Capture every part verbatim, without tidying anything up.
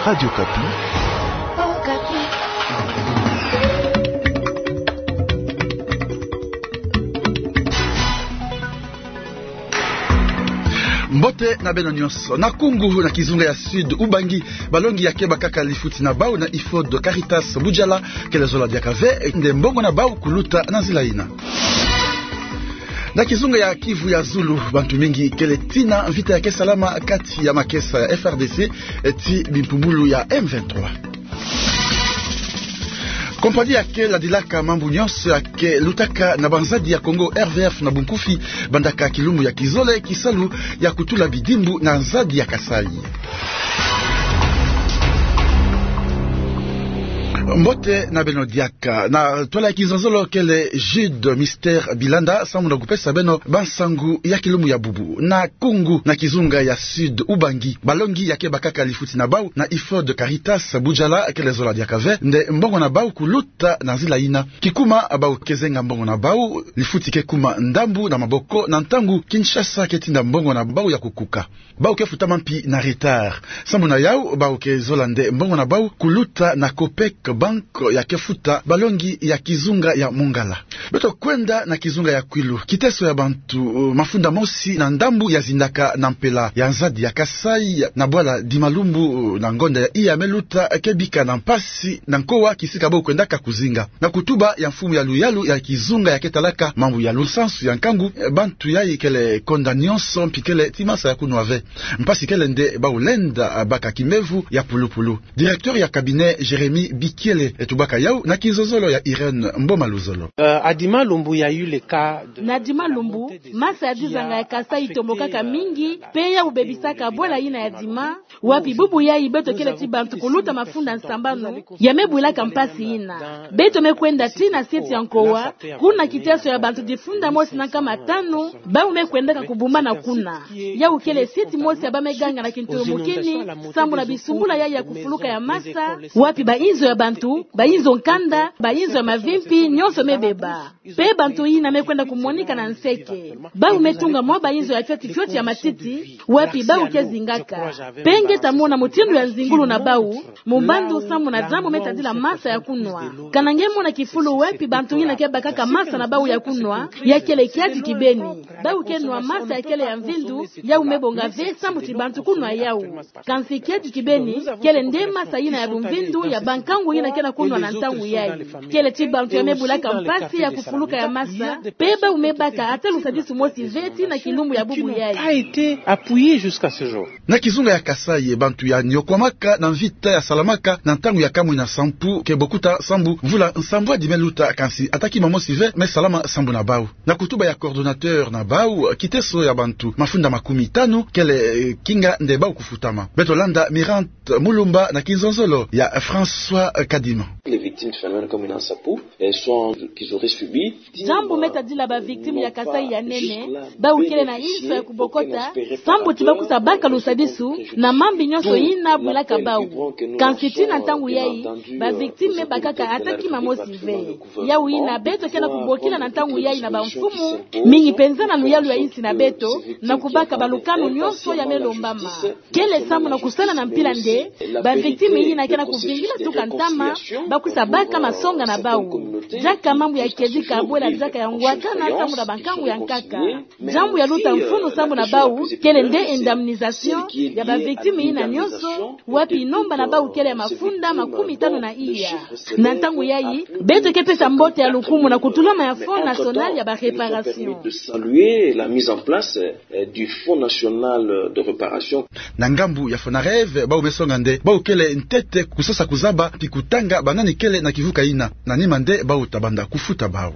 Radio Okapi. Mbote na beno nyonso. Na Koungou, na kizunga ya Sud Ubangi, balongi ya keba kaka lifuti na bau na IFOD Caritas Bujala, kele zola diaka ve nde mbongo na bau kuluta na nzila ina. Na kizunga ya Kivu ya Zulu, bantu mingi kele tii na mvita ya ke salama kati ya makesa ya F R D C ti bimpumbulu ya M vingt-trois. Kompani ya ke ladilaka mambu nyonso ya ke lutaka na banzadi ya Congo, R V F na bunkufi, bandaka kilumbu ya kizole kisalu ya kutula bidimbu na nzadi ya Kasaï. Mbote na beno diaka. Na twala ya kizonzolo kele Jude Mister Bilanda, samu na kupesa beno bansangu ya kilumbu ya bubu. Na Koungou, na kizunga ya Sud Ubangi, balongi ya keba kaka lifuti na bau na IFOD Caritas Bujala, kele zola diaka ve nde mbongo na bau kuluta na nzila ina. Kikuma bau ke zenga mbongo na bau, lifuti ke kuma ndambu na maboko, na ntangu Kinshasa ke tinda mbongo na bau ya kukuka. Bau ke futa mampi na retard. Samu na yau, bau ke zola nde mbongo na bau kuluta na Copec Bank ya ke futa balongi ya kizunga ya Mongala. Beto kwenda na kizunga ya Kwilu. Kiteso ya bantu, uh, mafunda mosi na ndambu ya zindaka na mpela ya nzadi ya Kasaï, na bwala Dimalumbu, uh, na ngonda ya iya me luta, ke bika na mpasi na nkowa kisika bau kwendaka kuzinga. Na kutuba ya mfumu ya luyalu ya kizunga ya ke talaka mambu ya lusansu ya nkangu, eh, bantu yai kele konda nyonso, mpi kele tii masa ya kunwa ve. Mpasi kele nde bau lenda, ah, baka kimevu ya pulupulu. Directeur ya cabinet Jérémie Bikiele, eh, tubaka yau na kizonzolo ya Irène Mboma Luzolo. Euh, à Dimalumbu, il y a eu le cas de... Na Dimalumbu, masa ya dizanga ya Kasaï itombokaka mingi, pe yau bebisaka bwala ina ya Dima, wapi bubu yai beto kele tii bantu kuluta mafunda nsambanu ya me bwilaka mpasi ina. Beto me kwenda tii na sieti ya nkowa, kuna kiteso ya bantu difunda mosi na nkama tanu bau me kwendaka kubumbana kuna. Yau kele sieti mosi ya ba me ganga na kintulumukini, samu na bisumbula yai ya kufuluka ya masa, wapi bainzo ya bantu, bainzo nkanda, bainzo ya mavimpi, nyonso me beba. Pe bantu ina me kwenda kumonika na nseke. Bau me tunga mwa bainzo ya fioti fioti ya matiti, wapi bau ke zingaka. Pe nge ta mona mutindu ya nzingulu na bau, mu mbandu samu na diambu me tadila masa ya kunwa. Kana nge mona kifulu wapi bantu ina ke bakaka masa na bau ya kunwa, ya kele kiadi kibeni. Bau ke nwa masa ya kele ya mvindu, yau me bonga ve samu ti bantu kunwa yau. Kansi kiadi kibeni, kele nde masa ina ya bumvindu ya bankangu ina ke na kunwa na ntangu yai. Kele ti bantu ya me bwilaka mpasi ya kufuluka ya masa, pe bau me baka ata lusadisu mosi ve tii na kilumbu ya bubu yai. A été appuyé jusqu'à ce jour. Na kizunga ya Kasaï, bantu ya niokwamaka na mvita ya salamaka na ntangu ya kamwina sampu ke bokuta sambu mvula nsambwadi me luta, kansi ata kima mosi ve me salama sambu na bau. Na kutuba ya coordonnateur na bau, kiteso ya bantu mafunda makumi tanu kele, eh, kinga nde bau kufutama. Beto landa Mirante Mulumba na kinzonzolo ya François, eh, Kadima. Les victimes du phénomène Kamwina Nsapu, elles sont, qu'ils auraient subi. Diambu me tadila ba victimes ya Kasaï ya nene, bau kele na inso ya kubokota, sambu ti ba kusa baka lusadisu na mambi nyonso ina bwilaka bau. Kansi tii na ntangu yai, ba victimes me bakaka ata kima mosi ve. Yau ina beto ke na kubokila na ntangu yai na bamfumu, mingi penza na luyalu ya insi na beto, na kubaka balukanu nyonso ya me lombama. Kele sambu na kusala na mpila nde ba victimes ina ke na kuvingila tuka ntama, ba kusa baka masonga na bau. Diaka mambu ya kedika bwela diaka ya ngwakana sambu na bankangu ya nkaka. Diambu ya luta mfunu sambu na bau, kele nde indemnisation ya ba victimes ina nyonso, wapi nomba na bau kele ya mafunda makumi tanu na iya. Na ntangu yai, beto ke pesa mbote ya lukumu na kutulama ya Fonds National ya ba Réparation. De saluer la mise en place, euh, du Fonds National de Réparation. Na ngambu ya FONAREV, bau me songa nde bau kele ntete kusosa kuzaba mpi kutanga banani kele na kivuka ina. Na nima nde bau ta banda kufuta bau.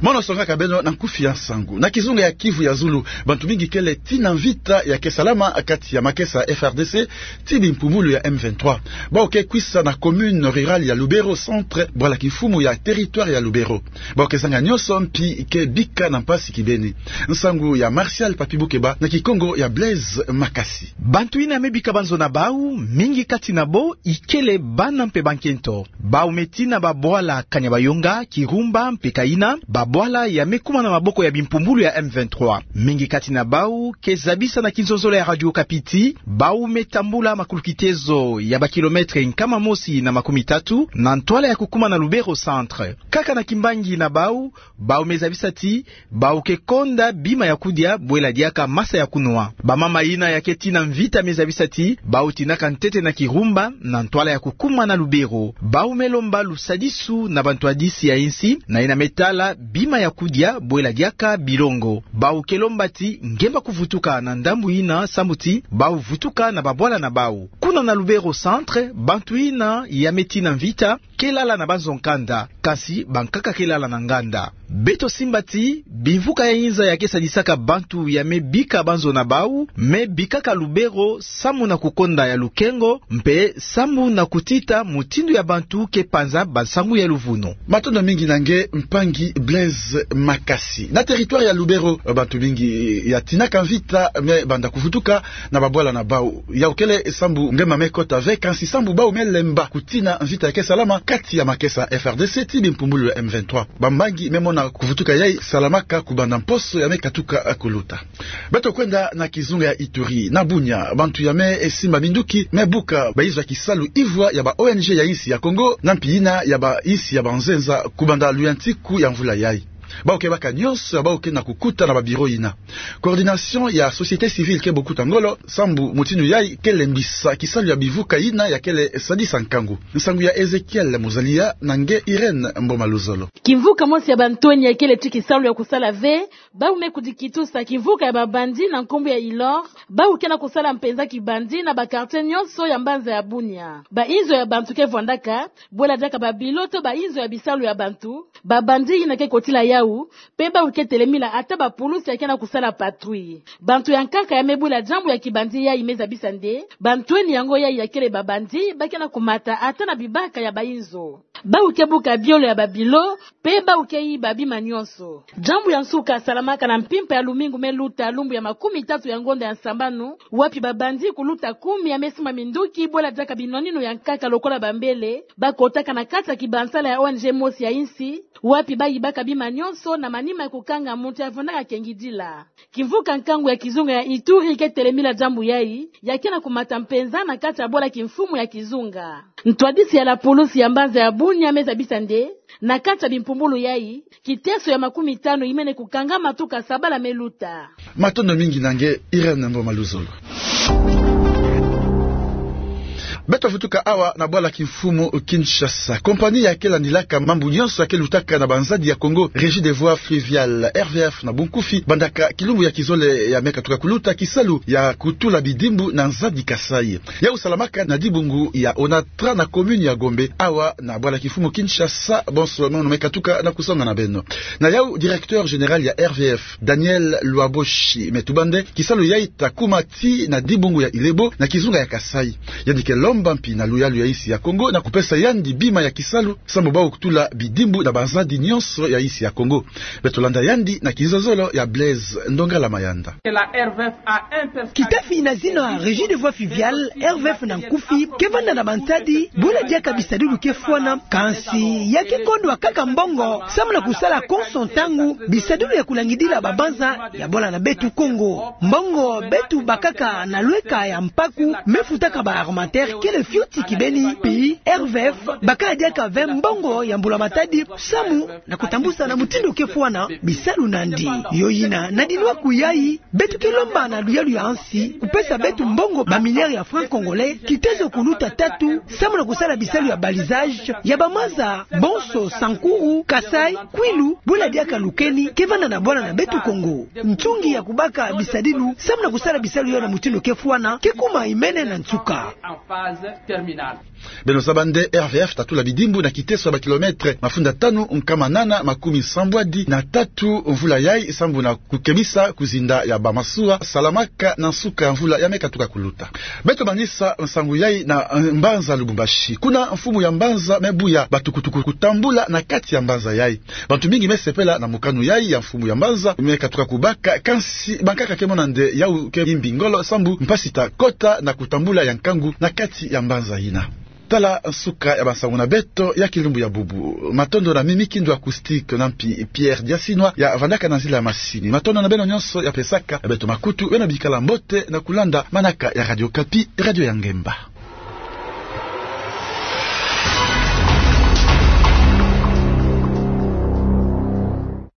Mono songaka beno na nkufi ya nsangu. Na kizunga ya Kivu ya Zulu, bantu mingi kele tii na mvita ya ke salama kati ya makesa F R D C ti bimpumbulu ya M vingt-trois. Bau ke kwisa na commune rurale ya Lubero Centre, bwala kimfumu ya territoire ya Lubero. Bau ke zanga nyonso mpi ke bika na mpasi kibeni. Nsangu ya Martial Papi Bukeba na Kikongo ya Blaise Makasi. Bantu ina me bika banzo na bau, mingi kati na bo ikele bana mpe bankento. Bau me tii na babwala Kanyabayonga, Kirumba mpe Kaina, ba bwala ya me kuma na maboko ya bimpumbulu ya M vingt-trois. Mingi kati na bau ke zabisa na kinzonzolo ya Radio Okapi ti bau me tambula makulukitezo ya ba kilomètre nkama mosi na makumi tatu na ntwala ya kukuma na Lubero Centre. Kaka na kimbangi na bau, bau me zabisa ti bau ke konda bima ya kudia bwela diaka masa ya kunwa. Bamama yina ya ke tina mvita me zabisa ti bau tinaka ntete na kirumba na ntwala ya kukuma na Lubero. Bau me lomba lusadisu na bantwadisi ya insi na yina me tala bima ya kudia bwela diaka bilongo. Bau ke lomba ti ngemba kuvutuka na ndambu yina sambu ti bau vutuka na babwala na bau. Kuna na Lubero Centre, bantu yina ya me tina mvita ke lala na banzo nkanda, kasi bankaka ke lala na nganda. Beto simba ti bimvuka ya inza ya ke sadisaka bantu ya me bika banzo na bau, me bikaka Lubero samu na kukonda ya lukengo, mpe samu na kutita mutindu ya bantu ke panza bansangu ya luvunu. Matondo mingi na nge, mpangi Blaise Makasi. Na territoire ya Lubero, bantu mingi ya tinaka mvita me banda kuvutuka na babwala na bau. Yau kele sambu ngemba me kota ve, kansi sambu bau me lemba kutina mvita ya ke salama kati ya makesa F R D C ti bimpumbulu ya M vingt-trois. Bambangi me mona kuvutuka yai salamaka kubanda mposo ya me katuka kuluta. Beto kwenda na kizunga ya Ituri, na Bunia, bantu ya me simba minduki me buka bayizo ya kisalu ivwa ya ba O N G ya insi ya Congo, na mpi yina ya ba insi ya banzenza, kubanda luyantiku ya mvula yai. Bau ke baka nyonso ya bau ke na kukuta na ba bureau yina. Coordination ya société civile ke bokuta ngolo sambu mutindu yai ke lembisa kisalu ya bivuka yina ya kele sadisa nkangu. Nsangu ya Ezekiel Muzalia na nge Irène Mboma Luzolo. Kimvuka mosi ya bantweni ya kele ti kisalu ya kusala ve, bau me kudikitusa kimvuka ya ba bandits na nkumbu ya Ilor, bau ke na kusala mpenza ki bandits na ba quartiers nyonso ya mbanza ya Bunia. Ba inzo ya bantu ke vwandaka, bwela diaka ba bilo to ba inzo ya bisalu ya bantu, ba bandits yina ke kotila yau, mpe bau ke telemila ata ba pulusi ya ke na kusala patrouille. Bantu ya nkaka ya me bwela diambu ya ki bandits yai me zabisa nde, bantweni yango yai ya kele ba bandits ba ke na kumata ata na bibaka ya ba inzo. Bau ke buka biolo ya ba bilo, mpe bau ke yiba bima nyonso. Diambu ya nsuka salamaka na mpimpa ya lumingu me luta, lumbu ya makumi tatu ya ngonda ya nsambanu, wapi ba bandits kuluta kumi ya me simba minduki bwela diaka binwaninu ya nkaka lokola ba mbele, ba kotaka na kati ya kibansala ya O N G mosi ya insi, wapi ba yibaka bima nyonso na manima ya kukanga muntu ya vwandaka kengidila. Kimvuka nkangu ya kizunga ya Ituri ke telemila diambu yai, ya ke na kumata mpenza na kati ya bwala kimfumu ya kizunga. Ntwadisi ya la pulusi ya mbanza ya Bunia me zabisa nde, na kati ya bimpumbulu yai, kiteso ya makumi tanu yimene kukangama tuka sabala me luta. Matondo mingi na nge Irène Mboma Luzolo. Beto vutuka awa na bwala kimfumu Kinshasa. Compagnie ya ke landilaka mambu nyonso ya ke lutaka na banzadi ya Congo, Régie des Voies Fluviales, R V F na bunkufi, bandaka kilumbu ya kizole ya me katuka kuluta kisalu ya kutula bidimbu na nzadi Kasaï. Yau salamaka na dibungu ya Onatra na commune ya Gombe, awa na bwala kimfumu Kinshasa. Bonso mono me katuka na kusonga na beno. Na yau directeur général ya R V F, Daniel Lwaboshi, me tuba nde kisalu yai ta kuma tii na dibungu ya Ilebo na kizunga ya Kasaï. Yandi ke lomba mpi na luyalu ya insi ya Congo na kupesa yandi bima ya kisalu sambu bau kutula bidimbu na banzadi nyonso ya insi ya Congo. Beto landa yandi na kinzonzolo ya Blaise Ndongala Mayanda. Kitafi na zina Régie des Voies Fluviales, R V F na nkufi, ke vanda na bansadi bwela diaka bisadilu ke fwana, kansi ya ke kondwa kaka mbongo samu na kusala konso ntangu bisadilu ya kulangidila babanza ya bwala na beto Congo. Mbongo beto bakaka na lweka ya mpaku me futaka ba armateur kele fioti kibeni, mpi R V F bakaka diaka ve mbongo ya mbula matadi samu na kutambusa na mutindu ke fwana bisalu nandi. Yo yina, na dinwaku yai, beto ke lomba na luyalu ya insi kupesa beto mbongo ba milliards ya francs congolais, kitezo kuluta tatu, samu na kusala bisalu ya balisage ya bamanza bonso, Sankuru, Kasaï, Kwilu, bwela diaka Lukeni, ke vanda na bwala na beto Congo. Ntungi ya kubaka bisadilu samu na kusala bisalu yai na mutindu ke fwana ke kuma imene na nsuka. Beno zaba nde R V F ta tula bidimbu na kiteso ya ba kilomètre mafunda tanu nkama nana makumi nsambwadi na tatu mvula yai, sambu na kukebisa kuzinda ya bamasuwa salamaka na nsuka ya mvula ya me katuka kuluta. Beto manisa nsangu yai na, eh, mbanza Lubumbashi. Kuna mfumu ya mbanza me buya batukutuku kutambula na kati ya mbanza yai. Bantu mingi me sepela na mokano yai ya mfumu ya mbanza me katuka kubaka, kansi bankaka ke mona nde yau ke yimbi ngolo sambu mpasi ta kota na kutambula ya nkangu na kati ya mbanza yina. Tala nsuka ya bansangu na beto ya kilumbu ya bubu. Matondo na Mimi Kindu Acoustique, na mpi Pierre Diasinwa ya vandaka na nzila ya masini. Matondo na beno nyonso ya pesaka beto makutu, beno bikala mbote na kulanda manaka ya Radio Okapi, radio ya ngemba.